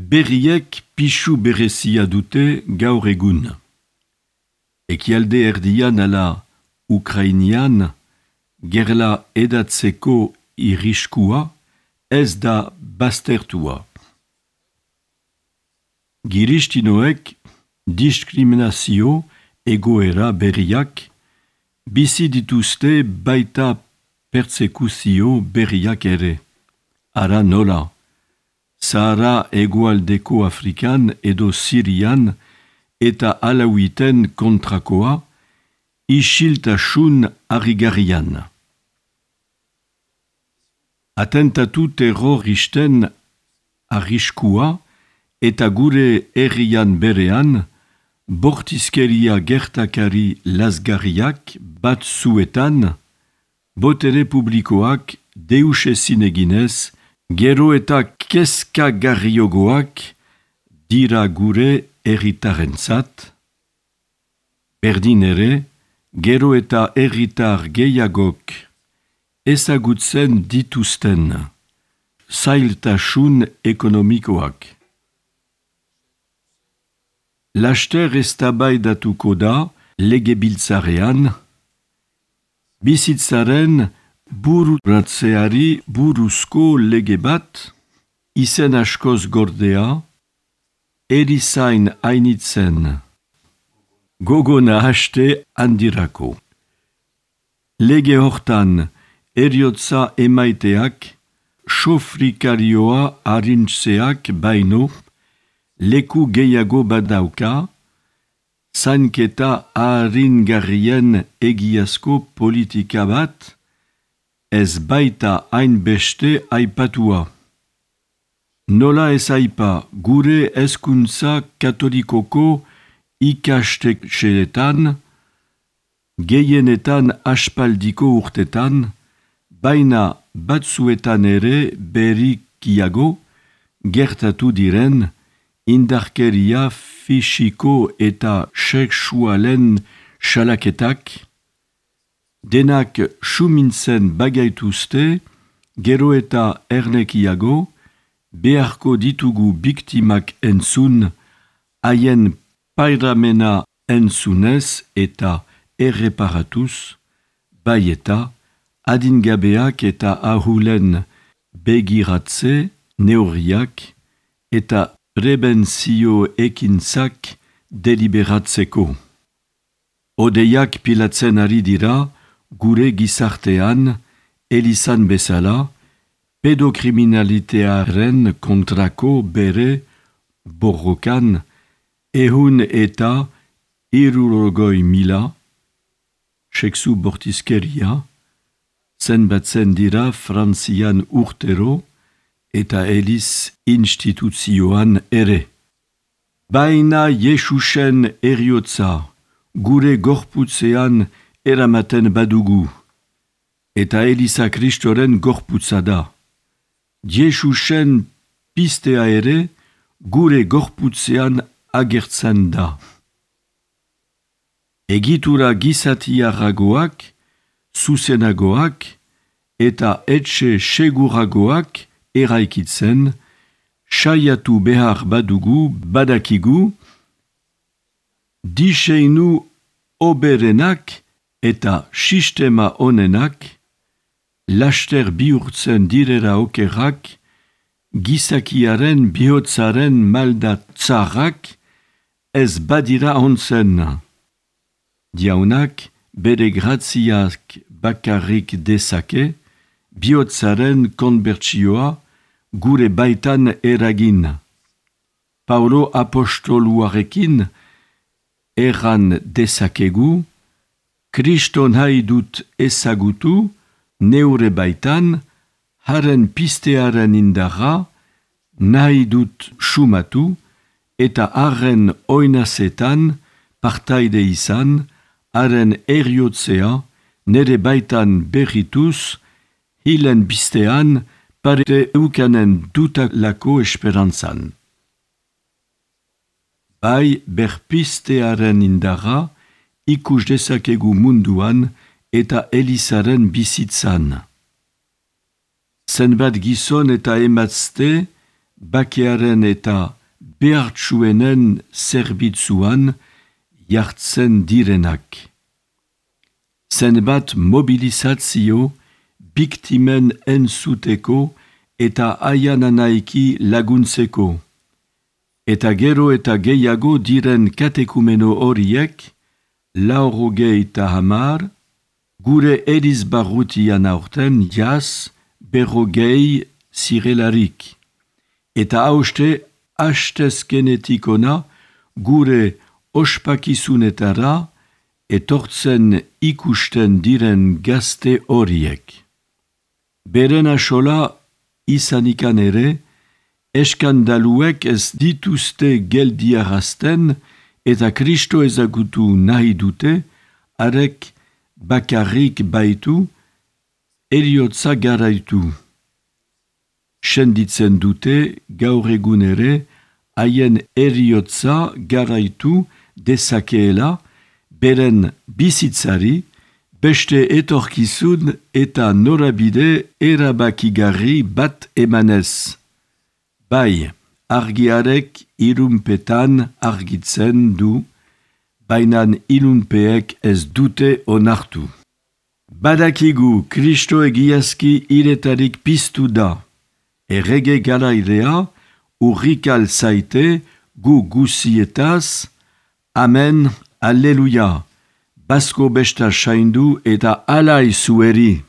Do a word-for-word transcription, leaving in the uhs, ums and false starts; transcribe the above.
Berriek pixu berezia dute gaur egun. Ekialde erdian ala Ukrainian, gerla edatzeko irriskua ez da baztertua. Giristinoek diskriminazio egoera berriak bizi dituzte baita pertsekuzio berriak ere. Ara nola, Sahara hegoaldeko Afrikan edo Sirian eta alauiten kontrakoa isiltasun harrigarrian. Atentatu terroristen arriskua eta gure herrian berean bortizkeria gertakari lazgarriak batzuetan botere publikoak deusezin eginez gero eta kezkagarriogoak dira gure herritarentzat, berdin ere, gero eta herritar gehiagok ezagutzen dituzten zailtasun ekonomikoak. Laster eztabaidatuko da legebiltzarean, bizitzaren bururatzeari buruzko lege bat, izen askoz gordea, erizain hainitzen, gogona haste handirako. Lege hortan eriotza emaiteak, sofrikarioa harintzeak baino, leku gehiago badauka, zainketa haringarrien egiazko politika bat, ez baita hainbeste aipatua. Nola ez aipa gure hezkuntza katolikoko ikastetxeetan, gehienetan aspaldiko urtetan, baina batzuetan ere berrikiago gertatu diren indarkeria fisiko eta sexualen salaketak, denak sumintzen bagaituzte, gero eta ernekiago, beharko ditugu biktimak entzun, haien pairamena entzunez eta erreparatuz, bai eta adingabeak eta ahulen begiratze neurriak eta prebentzio ekintzak deliberatzeko. Odeiak pilatzen ari dira gure gizartean, elizan bezala, pedokriminalitearen kontrako bere borrokan ehun eta hirurogoi mila, sexu bortizkeria, zenbatzen dira Frantzian urtero eta eliz instituzioan ere. Baina Jesusen eriotza gure gorputzean eramaten badugu, eta Eliza Kristoren gorputza da. Jesusen pistea ere gure gorputzean agertzen da. Egitura gizatiarragoak, zuzenagoak eta etxe seguragoak eraikitzen, saiatu behar badugu badakigu, diseinu oberenak eta sistema onenak, laster bihurtzen direra okerrak, gizakiaren bihotzaren maldatzarrak ez badira ontzen. Diaunak bere graziak bakarrik dezake, bihotzaren konbertsioa gure baitan eragin. Paulo apostoluarekin erran dezakegu, Kristo nahi dut ezagutu, neure baitan, haren pistearen indarra, nahi dut sumatu, eta haren oinazetan, partaide izan, haren eriotzea, nere baitan berrituz, hilen bistean, parete eukanen dutalako esperantzan. Bai berpistearen indarra, ikus dezakegu munduan eta elizaren bizitzan. Zenbat gizon eta emazte bakearen eta behartsuenen zerbitzuan jartzen direnak. Zenbat mobilizazio biktimen entzuteko eta aiananaiki laguntzeko. Eta gero eta gehiago diren katekumeno horiek, laurogei eta hamar, gure erizbarrutian aurten jaz berrogei zirelarik. Eta hauste hastezkenetikona gure ospakizunetara etortzen ikusten diren gazte horiek. Beren asola izanikan ere, eskandaluek ez dituzte geldiarazten eta Kristo ezagutu nahi dute, arek bakarrik baitu, heriotza garaitu. Senditzen dute gaur egun ere, haien heriotza garaitu dezakeela, beren bizitzari, beste etorkizun eta norabide erabakigarri bat emanez. Bai, argiarek ilunpetan argitzen du, bainan ilunpeek ez dute onartu. Badakigu Kristo egiazki iretarik piztu da, errege garaidea urrikal zaite gu guzietaz, amen, alleluia, basko besta saindu eta alai zueri.